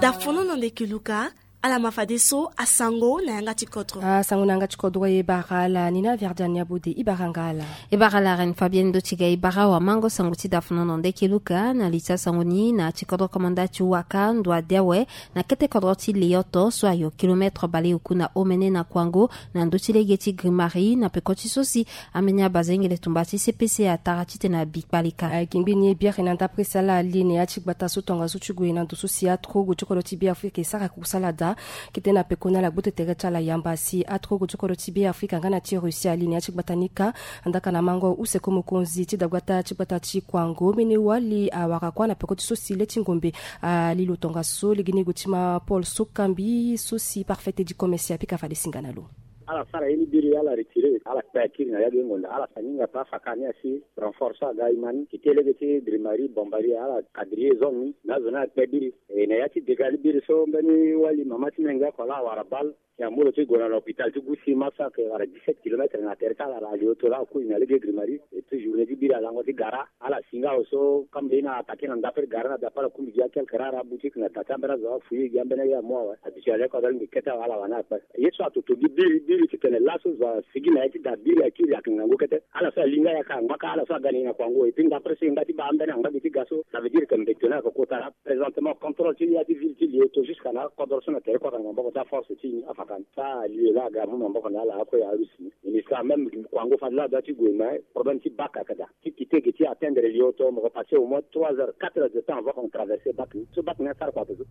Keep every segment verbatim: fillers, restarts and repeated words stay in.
Dafono na ndeke luka. Ala ma fadeso asango na yanga ti kodro. Asango na yanga ti kodro e bara ala ni na Verdiane Abode. E bara nga ala. E bara ala Reine Fabienne Dotiga. E bara wa mango sango ti dafono na ndeke luka na li ti asango ni na ti kodro komanda ti waka ndo ade awe na kete kodro ti Leyoto so ayo kilomètre baleoku na omene na Kwango na ndö ti lege ti Grimari na peko ti so si ameni abazengele tumba ti C P C atara titene abi kpalika. Ayeke ngbeni e biere na ndapre si ala ali na ya ti gbata so tongaso ti gue na ndo so si atrogo ti kodro ti Beafrika e sara kusala daa. Kete na peko ni ala gbote tere ti ala yamba si atrogo ti kodro ti Beafrika nga na ti Russie ali na ya ti gbata ni kâ. Andaka na mango use ko mokonzi ti dagbata ti gbata ti Kwango mene wali awara kuâ na peko ti so si le ti ngombe ali lo tongaso legeni gue ti ma Paul Sokambi so si parfait ti commerce apika fade singa na lo. Ala sara ye ni biri ala retire ala kpe akiri na ya ge ngonda ala sa ni nga pe afaka ni asi renforce aga imani kite lege ti Grimari Bombari ala kadrier zone ni na azo ni akpe biri. E na ya ti dega ni biri so mbeni wali mama ti menge oko laa awara bal si amolo ti gue na l'hôpital ti gusi ma so ayeke wara dix-sept kilomètre na tere ti ala ala ali oto laa akui na lege Grimari. Et puis journée ti biri alango ti gara ala si nga awe so kambe ye ni atake na ndapre gara na dape ala kumbi gi a quelque rare aboutique na da ti ambeni azo afouye gi ambeni aye amu awe. Habitué ale kodro alingbi kete awe ala wani akpe ye so atoto gi biri biri titene laso zo asigi na ye ti da biri akiri ayeke ngangu kete. Ala so alinga ya ka angba ka ala so aga na ye na Kwango et puis ndapre so e ngba ti baa ambeni angba gi ti ga so ça veut dire que mbeto ni ayeke kota laa. Présentement contrôle ti ya ti ville ti Leyoto jusqu'à na akodro so na tere kota na maboko ti aforce ti ni afaka ni sa alieu laa aga amu maboko na ala akue arusi ni. Ministre même Kwango fade laa adoit ti gue mais problème ti bac ayeke daa ti kite ge ti atteindre Leyoto mo ko passer au moins trois heures quatre heures de temps avant qu'on traverse bac ni so bac ni asara kua peso.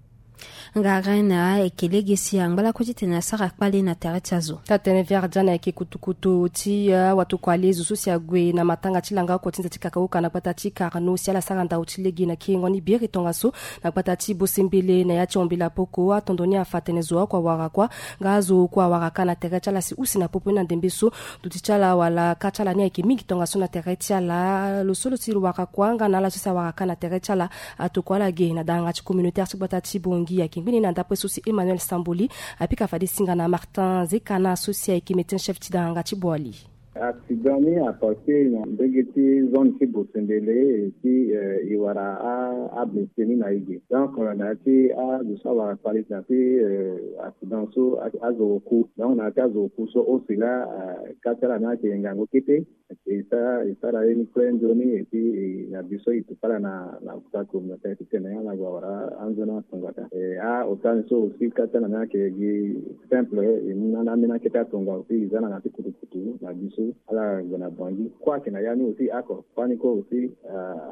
Nga Reine ayeke lege si angba lakue titene asara kpale na tere ti azo. Taa tene Verdiane ayeke kutukutu ti awatokua le zo so si ague na matanga ti langa oko ti nze ti kakauka na gbata ti Carnot si ala sara ndau ti lege na kiringo ni biere tongaso na gbata ti Bosembele na ya ti ombela poko atondo ni afa tene zo oko awara kuâ nga azo oko awara kâ na tere ti ala si use na popo ni na ndembe so. Duti ti ala wala kâ ti ala ni ayeke mingi tongaso na tere ti ala lo so lo si lo wara kuâ nga na ala so si awara kâ na tere ti ala. Atokua ala ge na danganga ti communautaire ti gbata ti Bongi ayeke ngbeni na ndapre so si Emmanuel Samboli apika fade singa na Martin Zekana so si ayeke médecin chef ti danganga ti Boali. Accident ni apase na ndenge ti zone ti Bosembele et puis e wara ablessé ni na e ge donc na ya ti azo so awara kpale na ya ti accident so azo oku donc na ya ti azo oku so ose laa kâ ti ala ni ayeke ngangu kete. E sara e sara ye ni kue nzoni et puis na biso e tupa ala na na hôpital communautaire titene ala gue awara anzoni atongata. E ahôpital ni so aussi kâ ti ala ni ayeke gi simple e mu na na ambeni akete atonga aussi e za na na ti kutukutu na biso ala gue na Bangui kue ayeke na ya ni aussi oko kue ni kue aussi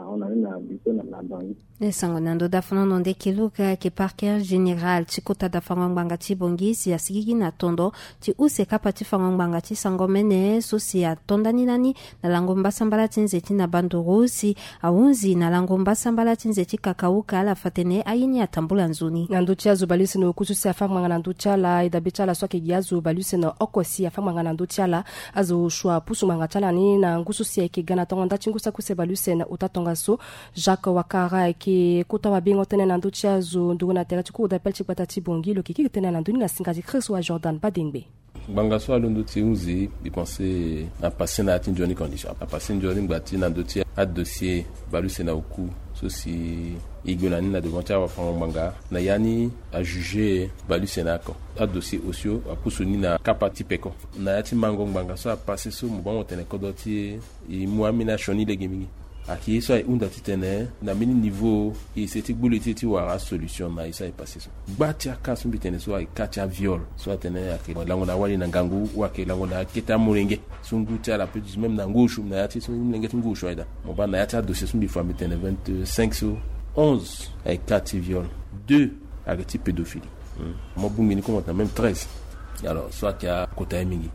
ahon na ni na biso na Bangui. E sango na ndo dafanono ndeke luka ayeke parquet général ti kota dafango ngbanga ti Bangui si asigigi na tondo ti use kapa ti fango ngbanga ti sango mene so si ato ndani ndani na lango mbasambala ti nze ti na banduru si ahunzi na lango mbasambala ti nze ti kakauka ala fa tene aye ni atambula nzoni. Na ndö ti azo baleuse na oku so si afa ngbanga na ndö ti ala e dabe ti ala so ayeke gi azo baleuse na oko si afa ngbanga na ndö ti ala. Azo osio apusu ngbanga ti ala ni na ngu so si ayeke ga na tongo nda ti ngu saki use baleuse na ota tongaso. Jacques Wakara ayeke kota mabengo tënë na ndö ti azo nduru na tere ti cour d'appel ti gbata ti Bangui lo yeke kiri tënë na ndö ni na singa ti Christ wa Jordan Badengbe. Ngbanga so alondo ti hunzi e pense na passe na ya ti nzoni condition apasse nzoni ngba ti na ndö ti adossier baleuse na oku so si e gue na ni na devant ti awafango ngbanga na ya ni ajuge baleuse na oko adossier osio apusu ni na kapa ti peko na ya ti mango ngbanga so apasse so mo bango tene kodro ti e. E mu ambeni asioni lege mingi. Ayeke ye so ahunda titene na mbeni niveau e ese ti gbu le ti e ti wara asolution na ye so aye passe so. Gba ti aka so mbi tene so ayeke ka ti aviol so atene ayeke lango na wali na ngangu ou ayeke lango na akete amolenge so ngu ti ala peut même na ngu osu na ya ti so molenge ti ngu osu aye daa. Mo baa na ya ti adossier so mbi fa mbi tene vingt-cinq so onze ayeke ka ti viol, deux ayeke ti pédophilie. Mo bongbi ni komo na même treize. Alors so ayeke akota ye mingi.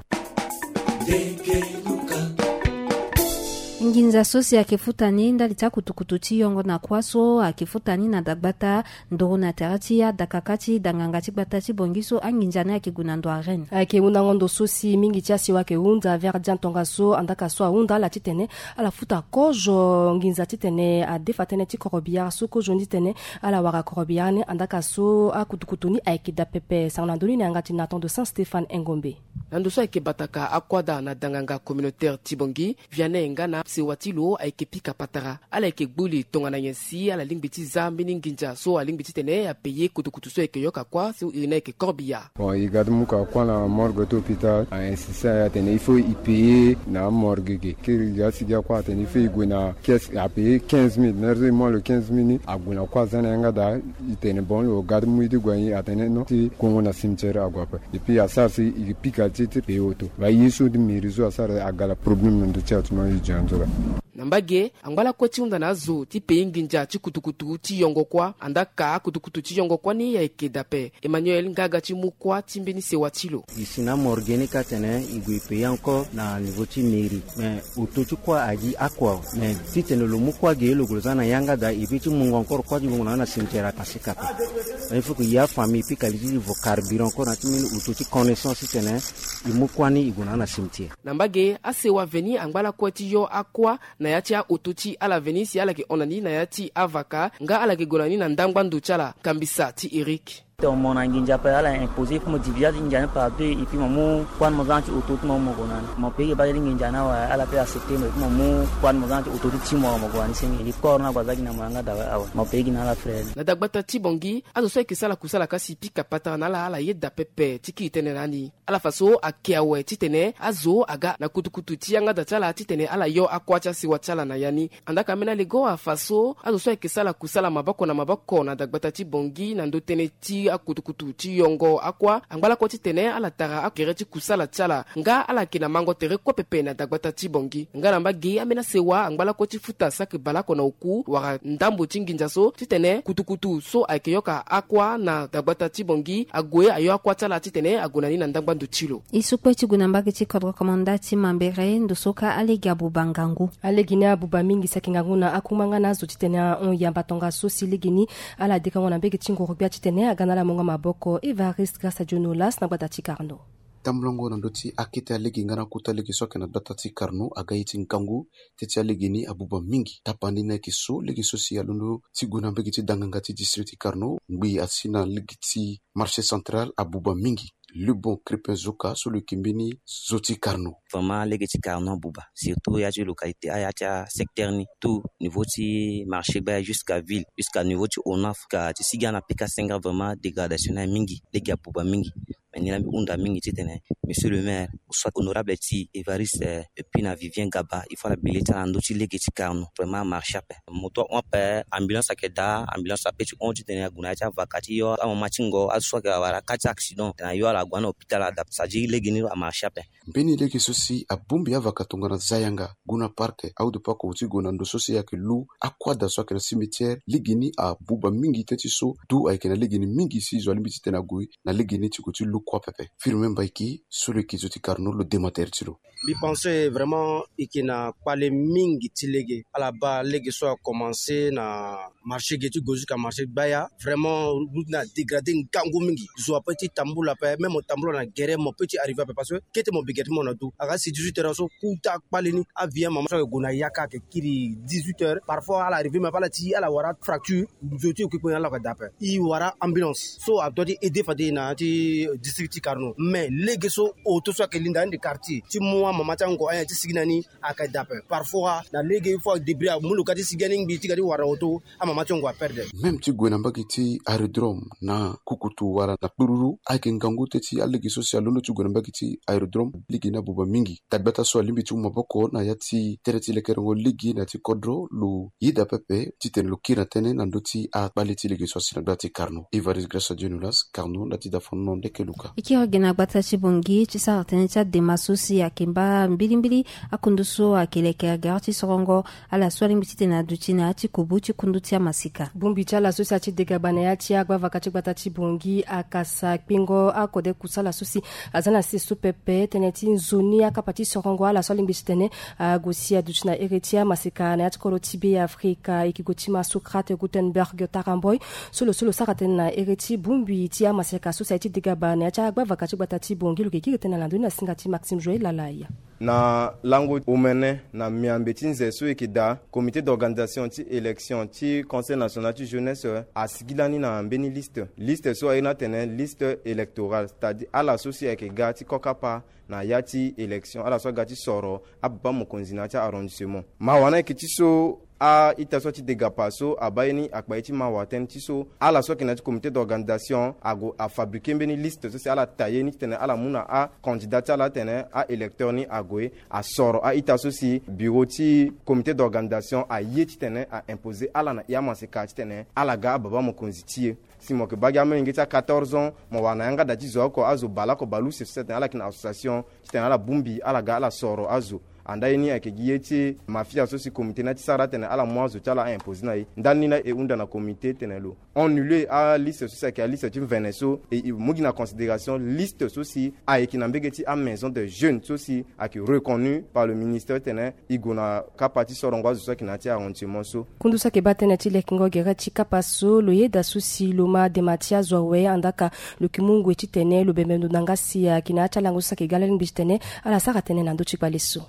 Nginza so si ayeke futa ni ndali ti akutukutu ti yongo na kuâ so ayeke futa ni na dagbata nduru na tere ti adakaka ti danganga ti gbata ti Bangui so anginza ni ayeke gue na ndo arène. Ayeke hundango ndo so si mingi ti asiwa ayeke hunda Verdiane tongaso andaka so ahunda ala titene ala futa kozo nginza titene adefa tënë ti korobiyar so kozo ni titene ala wara korobiyar ni andaka so akutukutu ni ayeke daa pepe. Sango na ndö ni na yanga ti Nathan de Saint Stéphane Engombe. Na ndo so ayeke bataka akuâ daa na danganga communautaire ti Bangui, Vianney nga na Sewa ti lo ayeke pika patara. Ala yeke gbu li tongana nyen si ala lingbi ti za mbeni nginza so alingbi titene apaye kutukutu so ayeke yoka kuâ so iri ni ayeke corbillard. Bon, e ga ti mu ka kuâ na morgue ti hôpital, a insiste na ya atene il faut e paye na amorgue ge. Kiri ga ti ga kuâ atene il faut e gue na caisse, apaye quinze mille. Nerzo e mu alo quinze mille ni, ague na kuâ aza na yanga daa. E tene bon, lo ga ti mu ye ti gue na ye, atene non, ti kongo na cimetière ague ape. Et puis asara si e pika ti ti paye auto. Ba ye so ti mairie so asara aga na problème na ndö ti ato na e zi anzo laa. Na mbage, angba lakue ti hunda na azo ti paye nginza ti kutukutu ti yongo kuâ. Andaa ka kutukutu ti yongo kuâ ni ayeke daa ape. Emmanuel nga aga ti mu kuâ ti mbeni sewa ti lo. E si na amorgue ni ka atene e gue e paye encore na niveau ti mairie. Mais auto ti kuâ agi akua. Mais titene lo mu kuâ ge lo gue lo za na yanga daa, e peut ti mungo encore kuâ ti gue na na cimetière amasika ape. Il faut que ya famille pika li ti vo carburant encore na ti mbeni auto ti connaissance titene e mu kuâ ni e gue na na cimetière. Na mbage, asewa veni angba lakue ti yo akuâ na ya ti auto ti ala veni si ala yeke hon na ni na ya ti avaka nga ala yeke gue na ni na ndangba ndo ti ala. Kambisa ti Eric. Tongana mo na nginza ape, ala imposer, il faut mo diviser ti nginza ni par deux, et puis mo mu kuâ ni mo za na ti auto ti mo, mo gue na ni. Mo payé baa ti nginza ni awe, ala peut accepter mo, et puis mo mu kuâ ni mo za na ti auto ti ti mo, mo gue na ni senge. Li corps ni ague aza gi na mo yanga daa awe, mo payé gi na ala frais ni. Na dagbata ti Bangui, azo so ayeke sara kusala kasi pika patara na ala, ala yeda pepe ti kiri tënë na ni. Ala fa so ake awe titene azo aga na kutukutu ti yanga daa ti ala titene ala yo akuâ ti asewa ti ala na ya ni. Andaa ka ambeni alego afa so azo so ayeke sara kusala maboko na maboko na dagbata ti Bangui na ndö tënë ti akutukutu ti yongo akuâ, angba lakue titene ala tara akere ti kusala ti ala nga ala yeke na mango tere kue pepe na dagbata ti Bangui. Nga na mbage, ambeni asewa angba lakue ti futa saki baleoko na oku wala ndambo ti nginza so titene kutukutu so ayeke yoka akuâ na dagbata ti Bangui ague ayo akuâ ti ala titene ague na ni na ndangba ndo ti lo. E so kue ti gue na mbage ti kodro komanda ti Mambere, ndo so ka alege abuba ngangu. Alege ni abuba mingi si ayeke ngangu na akungba nga na azo titene ahon yamba tongaso si legeni ala dekango na mbege ti nguru-gbia titene aga na ala mungo maboko. Évariste Grâce Djonolas na gbata ti Carnot. Tambulango na ndö ti akete alege nga na kota lege so ayeke na gbata ti Carnot aga ye ti ngangu. Teti alege ni abuba mingi. Tapani ni ayeke so lege so si alondo ti gue na mbege ti danganga ti district ti Carnot, ngbii asi na lege ti marché central abuba mingi. Lebon Crépin Zoka so lo yeke mbeni zo ti Carnot. Vraiment lege ti Carnot abuba, surtout ya ti localité, aya ti asecteur ni, tout niveau ti marché gbaya jusqu'à ville, jusqu'à niveau ti onaf ka ti sigi ana pika senga. Vraiment dégradation ni aye mingi, lege abuba mingi. Mais ni la mbi hunda mingi titene monsieur le maire, soit honorable ti Évariste, euh, et puis na Vivien Gaba, il faut ala bi le ti ala na ndö ti lege ti Carnot. Vraiment amarché ape. Moto ahon ape, ambulance ayeke daa, ambulance ape ti hon titene ague na ya ti avaka ti yo amama ti ngo, azo so ayeke wara ka ti accident tena yo ala gue na hôpital ada. Ça dit lege ni amarché ape. Mbeni lege so si abongbi avaka tongana Zayanga, Guna Park, aodo pako ti gue na ndo so si ayeke lu akuâ daa so ayeke na cimetière. Lege ni abuba mingi teti so, du ayeke na lege ni mingi si zo alingbi titene ague na lege ni ti gue ti lu kuâ pepe. Firmin Mbaiki so lo yeke zo ti Carnot lo dema tere ti lo. Mbi pense vraiment e yeke na kpale mingi ti lege. Ala baa lege so akomanse na marché ge ti gue jusqu'à marché gbaya. Vraiment route ni adégradé ngangu mingi. Zo ape ti tambula ape, même mo tambula na gere mo peut ti arrivé ape parce que kete mo bi gere ti mo na du. Aga si dix-huit heures so kota kpale ni, avi amama so ayeke gue na yaka ayeke kiri dix-huit heures. Parfois ala arrivé mais ape ala ti ala wara fracture. Nzoni ti okpikpo ni ala yeke daa ape. E wara ambulance so adoit ti aidé fade na ya ti district ti Carnot. Mais lege so auto so ayeke linda ni de quartier ti mu amama ti ango ayen ti sigi na ni ayeke daa ape. Parfois na lege il faut adébrouiller amu lo ka ti sigi ani ngbii ti ga ti wara auto, amama ti ango aperdre. Même ti gue na mbage ti aérodrome na kukutu wala na kpururu ayeke ngangu teti alege so si alondo ti gue na mbage ti aérodrome. Lege ni abuba mingi. Dagbata so alingbi ti mu maboko na ya ti tere ti lekerengo lege na ya ti kodro lo yeda pepe titene lo kiri na tënë na ndö ti akpale ti lege so asi na gbata ti Carnot. Évariste Grâce Djonolas, Carnot, na ti dafono ndeke luka. E kiri ge na gbata ti Bangui ti sara tënë ti adema so si ayeke mba mbilimbili akundu so ayeke leke gare ti sorongo ala so alingbi titene aduti na ya ti kubu ti kundu ti amaseka. Bongbi ti ala so si aye ti degaba na ya ti agbavaka ti gbata ti Bangui akasa kpengo akode kusala so si aza na sese so pepe tënë ti nzoni akapa ti sorongo ala so alingbi titene ague si aduti na ere ti amaseka na ya ti kolo ti Be Afrika. E yeke gue ti ma Socrate Gutenberg Taramboy so lo so lo sara tënë na ere ti bongbi ti amaseka so si aye ti degaba na Na ti agbavaka ti gbata ti Bangui lo yeke kiri tënë na lando ni na singa ti Maxime Joël Lalaya. Na lango omene na miambe ti nze so e yeke daa, comité d'organisation ti élection ti Conseil national ti jeunesse asigi lani na mbeni liste. Liste so aye ni atene liste électorale, c'est-à-dire ala so si ayeke ga ti kokapa na ya ti élection, ala so aga ti soro ababa mokonzi na ya ti arrondissement. Mawa ni ayeke ti so a-ita so ati degapa so abaa ye ni akpa ye ti mawa tënë ti so ala so ayeke na ya ti comité d'organisation ague afabriquer mbeni liste so si ala tailler ni titene ala mu na acandidat ti ala atene a-électeur ni ague asoro a-ita so si bureau ti comité d'organisation aye titene a-imposer ala na i amaseka titene ala ga ababa mokonzi ti e. Si mo yeke baa gi amolenge ti a quatorze ans, mo wara na yanga da ti zo oko, azo baleoko baleuse so si atene ala yeke na association titene ala bongbi ala ga ala soro azo. Andaa ye ni ayeke gi ye ti mafia so si comité ni ati sara atene ala mu azo ti ala a-imposer na e. Ndali ni laa e hunda na comité tene lo annule aliste so si ayeke aliste ti mvene so, e, e mu gi na considération liste so si ayeke na mbege ti amaison de jeunes so si ayeke reconnu par le ministère tene e gue na kapa ti sorongo azo so ayeke na ya ti arrondissement so. Kundu so ayeke baa tënë ti lekengo gere ti kapa so lo yeda so si lo ma dema ti azo awe, andaa ka lo yeke mu ngoi titene lo bembe ndo na yanga si ayeke na ya ti alango so si ayeke ga laa lingbi titene ala sara tënë na ndö ti kpale so.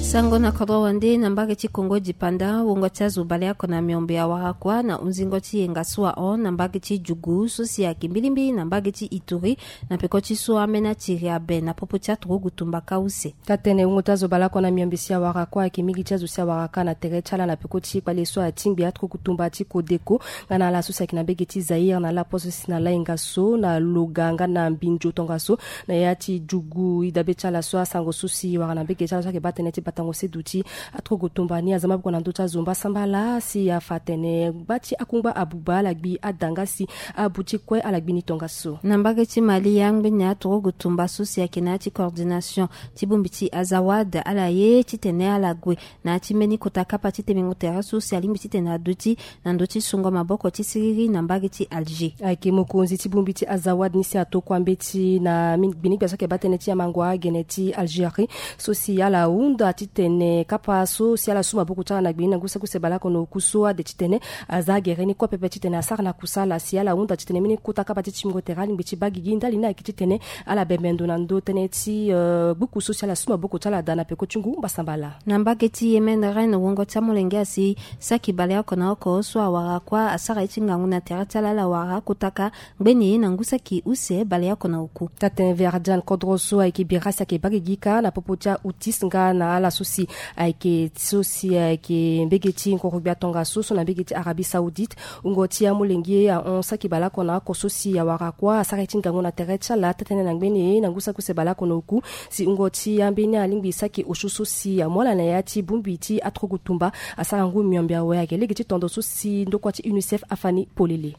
Sango na kodro wande na mbage ti Kongo dipanda, wungo ti azo baleoko na miombe awara kuâ na hunzingo ti yenga so ahon na mbage ti Djugu so si ayeke mbilimbili na mbage ti Ituri, na peko ti so ambeni atiri abe na popo ti aturugu tumba kâ use. Taa-tënë, wungo ti azo baleoko na miombe si awara kuâ ayeke mingi ti azo si awara kâ na tere ti ala na peko ti kpale so atingbi aturugu tumba ti Codeco nga na ala so si ayeke na mbege ti Zaïre na lapo so si na lainga so na Loga nga na Mbindio tongaso na ya ti Djugu. E dabe ti ala so asango so si wara na mbege ti ala so ayeke baa tënë ti batango se duti aturugu tumba ni aza maboko na ndö ti azo mbasambala si afa atene gba ti akungba abuba ala gbi ada nga si abu ti kue ala gbi ni tongaso. Na mbage ti Mali, angbeni aturugu tumba so si ayeke na ya ti coordination ti bongbi ti Azawad ala ye titene ala gue na ya ti mbeni kota kapa ti temengo tere so si alingbi titene aduti na ndö ti sungo maboko ti siriri na mbage ti Alger. Ayeke mokonzi ti bongbi ti Azawad ni si atokua mbeti na mi-, gbinigbia so ayeke baa tënë ti amango agene ti Algérie so si ala hunda titene kapa so si ala su maboko ti ala na gbeni na ngu saki use baleoko na oku so ade titene aza agere ni kue pepe titene asara na kusala si ala hunda titene mbeni kota kapa ti timingo tere alingbi ti baa gigi ndali ni ayeke titene ala bembe ndo na ndö tënë ti, eh, gbuku so si ala su maboko ti ala daa na peko ti ngu mbasambala. Na mbage ti Yémen, Rennes, wungo ti amolenge asi saki baleoko na oko so awara kuâ asara ye ti ngangu na tere ti ala, ala wara akota kâ ngbeni na ngu saki use baleoko na oku. Taa-tënë, Verdun, kodro so ayeke bira si ayeke baa gigi kâ na popo ti a-Houthis nga na ala so si ayeke, so si ayeke mbege ti ngoro-gbia tongaso so na mbege ti Arabie Saoudite. Wungo ti amolenge ahon saki baleoko na oko so si awara kuâ asara ye ti ngangu na tere ti ala, taa-tënë, na ngbeni na ngu saki use baleoko na oku. Si wungo ti ambeni alingbi saki osio so si amu ala na ya ti bongbi ti aturugu tumba asara ngu miombe awe, ayeke lege ti tondo so si ndokua ti UNICEF afa ni polele.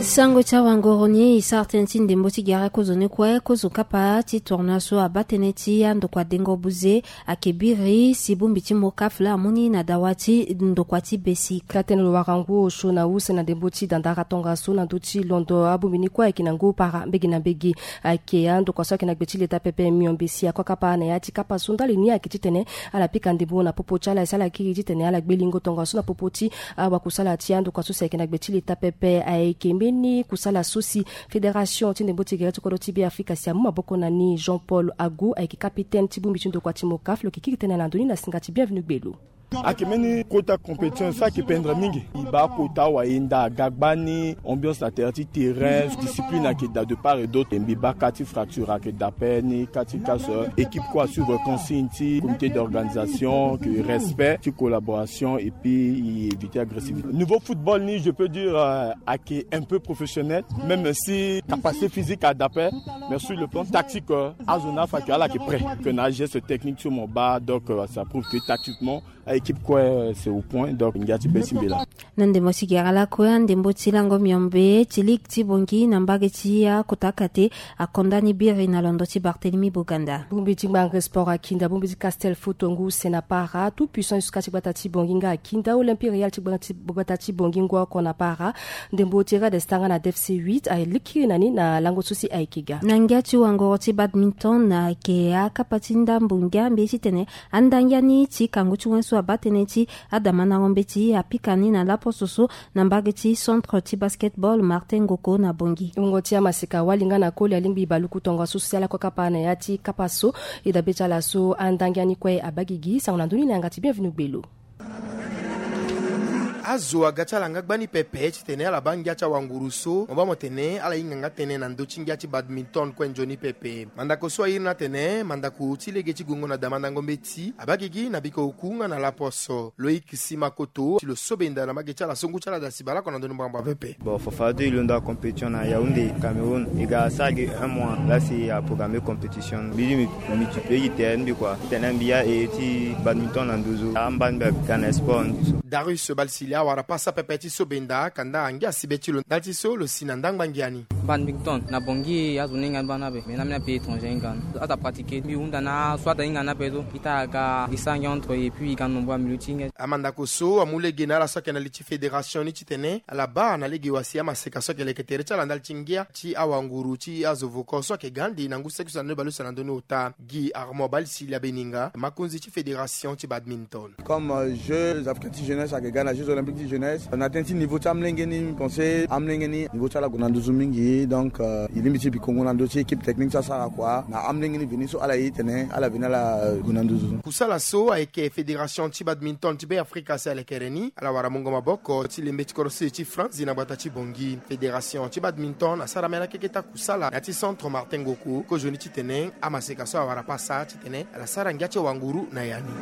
Sango ti awangoro ni e sara tënë ti ndembo ti gere kozo ni kue, kozo kapa ti tournoi so abaa tënë ti andokua dengo buze ayeke biri si bongbi ti MOCAF laa amu ni na dawa ti ndokua ti besi. Taa-tënë, lo wara ngu osio na use na ndembo ti dandara tongaso na ndö ti londo abongbi ni kue ayeke na ngu para mbege na mbege. Ayeke andokua so ayeke na gbe ti leta pepe miombe si akokapa na ya ti kapa so ndali ni ayeke titene ala pika ndembo na popo ti ala si ala kiri titene ala gbe lingo tongaso na popo ti awakusala ti andokua so si ayeke na gbe ti leta pepe. Ayeke mbeni kusala so si fédération ti ndembo ti gere ti kodro ti Beafrika si amu maboko na ni, Jean Paul Agu, ayeke capitaine ti bongbi ti ndokua ti MOCAF, lo yeke kiri tënë na ndo ni na singa ti Bienvenu Gbelo. Ayeke mbeni kota compétition so ayeke pendre mingi. E baa kota wayenda aga gbani, ambiance na tere ti terrain, discipline ayeke daa de part et d'autre. Mbi baa kâ ti fracture ayeke daa ape ni, kâ ti kâ so équipe kue asuivre consigne ti comité d'organisation, que respect ti collaboration et puis e éviter agressivité. Niveau football ni, je peux dire, euh, ayeke un peu professionnel, même si capacité physique adaa ape, mais sur le plan tactique, euh, azo ni afa que ala yeke prêt, que na ageste technique ti mo baa, donc, euh, ça prouve que tactiquement a-équipe kue, euh, c'est au point, donc ngia ti be ti mbi laa. Na ndembo ti gere lakue, andembo ti lango miombe ti ligue ti Bangui na mbage ti akota akate akonda ni biri na londo ti Barthélemy Boganda. Bongbi ti ngbangre sport akinda bongbi ti Castel Foot ngu use na para, Tout Puissant Yusuka ti gbata ti Bangui nga akinda Olympique Real ti gbata ti Bangui ngu oko na para. Ndembo ti Red Star nga na D F C huit alikiri na ni na lango so si ayeke ga. Na ngia ti wangoro ti badminton ayeke akapa ti ndambo ngia mbi ye titene andangia ni ti kangu ti wen so abaa Atene ti adamandango mbeti apika ni na laposo so na mbage ti centre ti basketball Martin Ngoko na Bongi. Wungo ti amaseka wali nga na koli alingbi baluku tongaso so si ala kue kapa na ya ti kapa so. E dabe ti ala so andangi ani kue abaa gigi. Sango na ndoni na yanga ti Bienvenu Gbelo. Azo aga ti ala nga gbani pepe titene ala baa ngia ti awanguru so mo baa mo tene ala hinga nga tënë na ndö ti ngia ti badminton kue nzoni pepe. Mandako so airi ni atene mandako ti lege ti gongo na damandango mbeti abaa gigi na biko oku nga na laposo. Loïc Simakoto ti lo so benda na mbage ti ala so ngu ti ala da si baleoko na ndö ni mbangbanga pepe. Bon, Fofado e londo acompétition na Yaoundé, Cameroun. E ga sara gi un mois la si e aprogramme compétition. Mbi di mbi multiplier gi terrain mbi kua. Tene mbi ya e ti badminton na nduzu. Amba mbi aga na sport ni so. Darius Balsilia awara pasa pepe ti so benda kanda angia si be ti lo ndali ti so lo si na ndangba ngia ni. Badminton na Bongi azo ni hinga ni baa ni ape. Mais na ambeni apays étranger ahinga ni. Azo apratiquer mbi hunda na so azo ahinga ni ape so. Ita aga e sara ngia entre et puis e ga nombreux amilieu ti ngia. Amandako so amu lege na ala so ayeke na li ti fédération ni titene ala baa na lege wa si amaseka so ayeke leke tere ti ala ndali ti ngia ti awanguru ti azo voko so ayeke ga ande na ngu seki so na ndö ni baleuse na ndö ni ota. Guy Armand Balsilia Beninga, makonzi ti fédération ti badminton. Comme euh, jeux africains ti jeunesse ayeke ga na jeux olympiques ti jeunesse na tënë ti niveau ti amolenge ni, mbi pense amolenge ni niveau ti ala gue na nduzu mingi. Donc euh, e lingbi ti bikongo na ndö ti équipe technique ti asara kua na amolenge ni veni so ala ye tene ala veni ala gue na nduzu. Kusala so ayeke fédération ti badminton ti Be Afrika si alekere ni ala wara mungo maboko ti lembe ti korose ti France na gbata ti Bongi. Fédération ti badminton asara mela keke ta kusala na ya ti centre Martin Ngoko kozoni titene amaseka so awara pasa titene ala sara ngia ti awanguru na ya ni.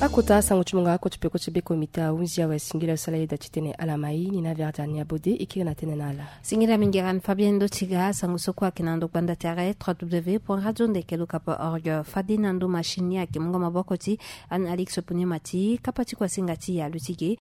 Akota sango ti mungo ako ti peko ti be komite ahunzi awe singila sala yeda titene ala mai ni na verdiani abode e kiri na tënë na ala. Singila mingi rani Fabien Dotiga. Sango so kue ayeke na ndo gbanda tere trois w point radio ndeke luka point org. Fade na ndo machine ni ayeke mungo maboko ti Anne Alix Puniema ti kapa ti kuasinga ti ya luti ge.